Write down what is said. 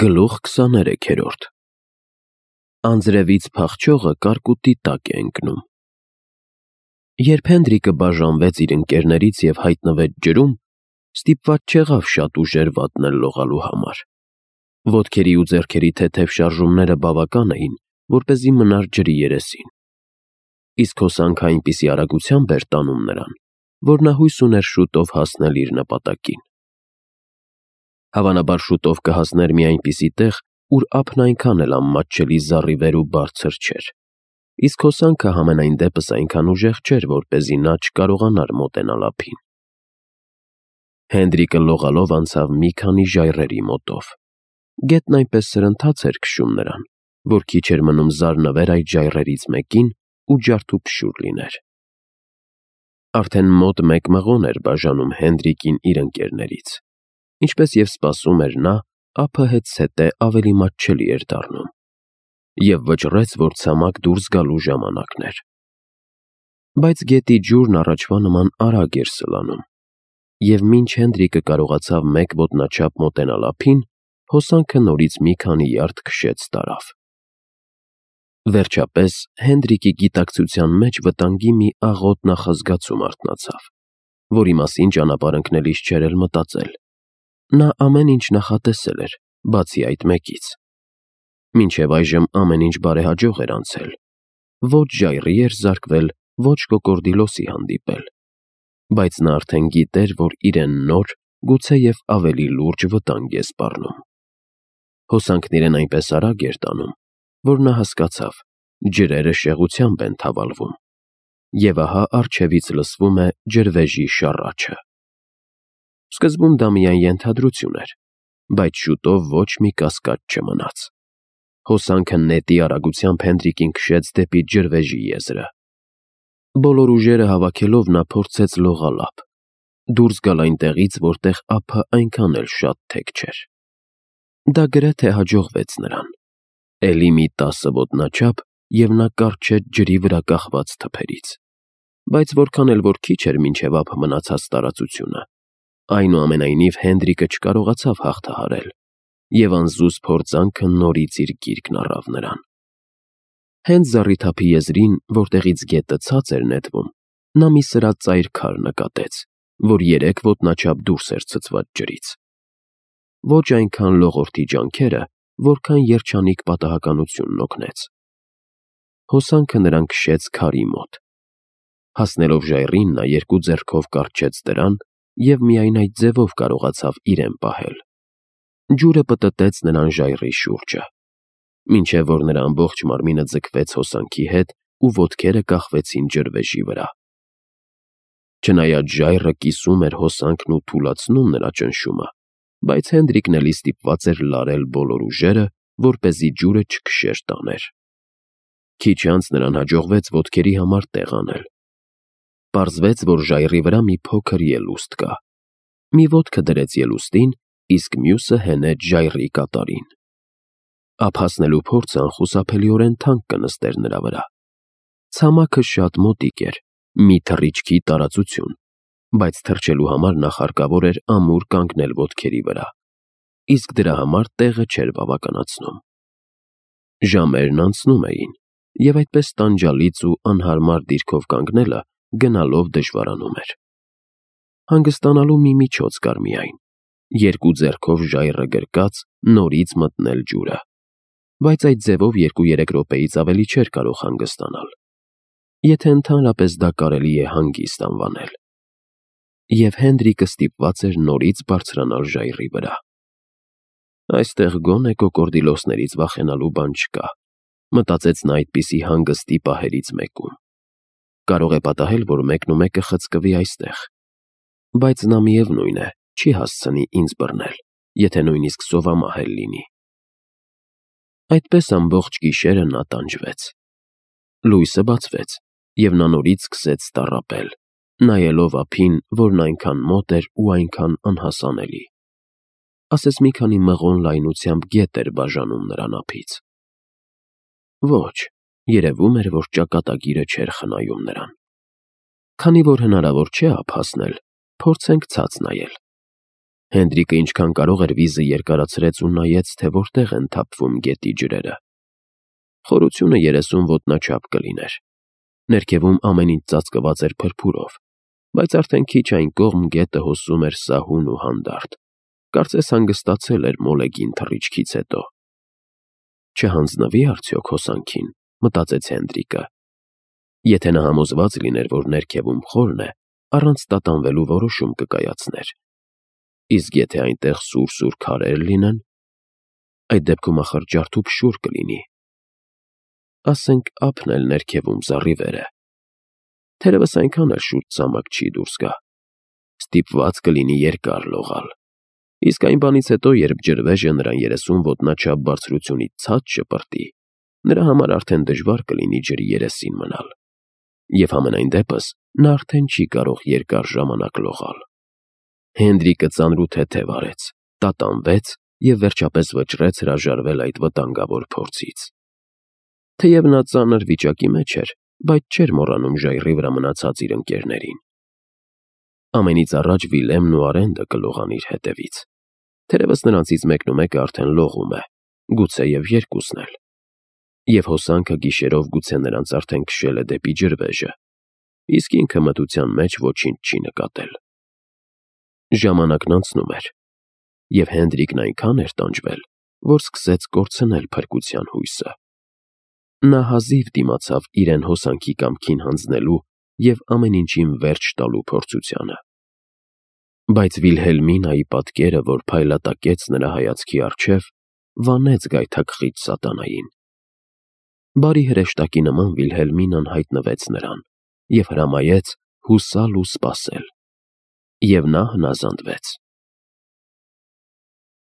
Գլուխ 23-րդ Անձրևից փախչողը կարկուտի տակ է ընկնում։ Երբ Հենրիկը բաժանվեց իր ընկերներից և հայտնվեց ջրում, ստիպված չեղավ շատ ուժեր վատնել լողալու համար։ Ոտքերի ու ձեռքերի թեթև շարժումները բավական էին, որպեսզի մնար ջրի երեսին։ Իսկ հոսանքը այնպիսի արագությամբ էր տանում նրան, որ նա հույս ուներ շուտով հասնել իր նպատակին։ Հավանաբար շուտով կհասներ մի այնպիսի տեղ, ուր ափն այնքան էլ անմատչելի զառիվեր ու բարձր չէր, իսկ հոսանքը համենայն դեպս այնքան ուժեղ չէր, որպեսզի նա չկարողանար մոտենալ ափին։ Հենրիկը լողալով անցավ մի քանի ժայռերի մոտով։ Գետն այնպես սրընթաց էր քշում նրան, որ քիչ էր մնում զարնվեր այդ ժայռերից մեկին ու ջարդուփշուր լիներ։ Արդեն մոտ 1 մղոն էր բաժանում Հենրիկին իր ընկերներից։ Ինչպես և սպասում էր նա, ափը հետզհետե ավելի մատչելի էր դառնում, և վճռեց, որ ցամաք դուրս գալու ժամանակն էր։ Բայց գետի ջուրն առաջվա նման արագ էր սլանում, և մինչ Հենրիկը կարողացավ 1 ոտնաչափ մոտենալ ափին, հոսանքը նորից մի քանի յարդ քշեց տարավ։ Վերջապես Հենրիկի գիտակցության մեջ վտանգի մի աղոտ նախազգացում արթնացավ, որի մասին ճանապարհ ընկնելիս չէր էլ մտածել։ Նա ամեն ինչ նախատեսել էր, բացի այդ մեկից։ Մինչև այժմ ամեն ինչ բարեհաջող էր անցել։ Ոչ ժայռի էր զարկվել, ոչ կոկորդիլոսի հանդիպել։ Բայց նա արդեն գիտեր, որ իրեն նոր, գուցեև ավելի լուրջ վտանգ է սպառնում։ Հոսանքն իրեն այնպես արագ էր տանում, որ նա հասկացավ՝ ջրերը շեղությամբ են թավալվում։ Եվ ահա առջևից լսվում է ջրվեժի շառաչը։ Սկզբում դա միայն ենթադրություն էր, բայց շուտով ոչ մի կասկած չմնաց։ Հոսանքը նետի արագությամբ Հենրիկին քշեց դեպի ջրվեժի եզրը։ Բոլոր ուժերը հավաքելով նա փորձեց լողալ ափ, դուրս գալ այնտեղից, որտեղ ափը այնքան էլ շատ թեք չէր։ Դա գրեթե հաջողվեց նրան։ Էլի մի 10 ոտնաչափ, և նա կառչեց ջրի վրա կախված թփերից։ Բայց որքան էլ որ քիչ էր մինչև ափ մնացած տարածությունը, այնուամենայնիվ Հենրիկը չկարողացավ հաղթահարել, և անզուսպ փորձանքը նորից իր գիրկն առավ նրան։ Հենց զառիթափի եզրին, որտեղից գետը ցած էր նետվում, նա մի սրածայր քար նկատեց, որ 3 ոտնաչափ դուրս էր ցցված ջրից։ Ոչ այնքան լողորդի ջանքերը, որքան երջանիկ պատահականությունն օգնեց։ Հոսանքը նրան քշեց քարի մոտ։ Հասնելով ժայռին, նա 2 ձեռքով կառչեց դրան և միայն այդ ձևով կարողացավ իրեն պահել։ Ջուրը պտտեց նրան ժայռի շուրջը, մինչև որ նրա ամբողջ մարմինը ձգվեց հոսանքի հետ ու ոտքերը կախվեցին ջրվեժի վրա։ Չնայած ժայռը կիսում էր հոսանքն ու թուլացնում նրա ճնշումը, բայց Հենրիկն էլի ստիպված էր լարել բոլոր ուժերը, որպեսզի ջուրը չքշեր տաներ։ Քիչ անց նրան հաջողվեց ոտքերի համար տեղ անել։ Պարզվեց, որ ժայռի վրա մի փոքր ելուստ կա։ Մի ոտքը դրեց ելուստին, իսկ մյուսը հենեց ժայռի կատարին։ Ափ հասնելու փորձը անխուսափելիորեն թանկ կնստեր նրա վրա։ Ցամաքը շատ մոտիկ էր, մի թռիչքի տարածություն, բայց թռչելու համար նախ հարկավոր էր ամուր կանգնել ոտքերի վրա, իսկ դրա համար տեղը չէր բավականացնում։ Ժամերն անցնում էին, և այդպես տանջալից ու անհարմար դիրքով կանգնելը գնալով դժվարանում էր։ Հանգստանալու մի միջոց կար միայն՝ 2 ձեռքով ժայռը գրկած նորից մտնել ջուրը, բայց այդ ձևով 2-3 րոպեից ավելի չէր կարող հանգստանալ, եթե ընդհանրապես դա կարելի է հանգիստ անվանել։ Եվ Հենրիկը ստիպված էր նորից բարձրանալ ժայռի վրա։ Այստեղ գոնե կոկորդիլոսներից վախենալու բան չկա, մտածեց նա այդպիսի հանգստի պահերից մեկում։ Կարող է պատահել, որ մեկնումեկը խցկվի այստեղ, բայց նա միևնույն է, չի հասցնի ինձ բռնել, եթե նույնիսկ սովամահ էլ լինի։ Այդպես ամբողջ գիշերը նա տանջվեց։ Լույսը բացվեց, և նա նորից սկսեց տառապել, նայելով ափին, որն այնքան մոտ էր ու այնքան անհասանելի։ Ասես մի քանի մղոն լայնությամբ գետ էր բաժանում նրան ափից։ Ոչ, երևում էր, որ ճակատագիրը չէր խնայում նրան։ Քանի որ հնարավոր չէ ափ հասնել, փորձենք ցած նայել։ Հենդրիկը ինչքան կարող էր վիզը երկարացրեց ու նայեց, թե որտեղ են թափվում գետի ջրերը։ Խորությունը 30 ոտնաչափ կլիներ։ Ներքևում ամեն ինչ ծածկված էր փրփուրով, բայց արդեն քիչ այն կողմ գետը հոսում էր սահուն ու հանդարտ։ Կարծես հանգստացել էր մոլեգին թռիչքից հետո։ Չհանձնվի արդյոք հոսանքին, մտածեց Հենդրիկը։ Եթե նա համոզված լիներ, որ ներքևում խորն է, առանց տատանվելու որոշում կկայացներ։ Իսկ եթե այնտեղ սուր քարեր լինեն, այդ դեպքում ախր ջարդ ու փշուր կլինի։ Ասենք ափն էլ ներքևում զառիվեր է։ Թերևս այնքան էլ շուտ ցամաք չի դուրս գա։ Ստիպված կլինի երկար լողալ։ Իսկ այն բանից հետո, երբ ջրվեժը նրան 30 ոտնաչափ բարձրությունից ցած շպրտի, նրա համար արդեն դժվար կլինի ջրի երեսին մնալ։ Եվ համենայն դեպս նա արդեն չի կարող երկար ժամանակ լողալ։ Հենդրիկը ծանրութեթև արեց, տատանվեց և վերջապես վճռեց հրաժարվել այդ վտանգավոր փորձից։ Թեև նա ծանր վիճակի մեջ էր, բայց չէր մոռանում ժայռի վրա մնացած իր ընկերներին։ Ամենից առաջ Վիլեմն ու Արենդը կլողան իր հետևից։ Թերևս նրանցից մեկնումեկը արդեն լողում է, գուցե և երկուսն էլ։ Եվ հոսանքը գիշերով գուցե նրանց արդեն քշել է դեպի ջրվեժը, իսկ ինքը մթության մեջ ոչինչ չի նկատել։ Ժամանակն անցնում էր, և Հենդրիկն այնքան էր տանջվել, որ սկսեց կորցնել փրկության հույսը։ Նա հազիվ դիմացավ իրեն հոսանքի կամքին հանձնելու և ամեն ինչին վերջ տալու փորձությանը։ Բայց Վիլհելմինայի պատկերը, որ փայլատակեց նրա հայացքի առջև, վանեց գայթակղիչ սատանային։ Բարի հրեշտակի նման Վիլհելմինան հայտնվեց նրան և հրամայեց հուսալ ու սպասել։ Եվ նա հնազանդվեց։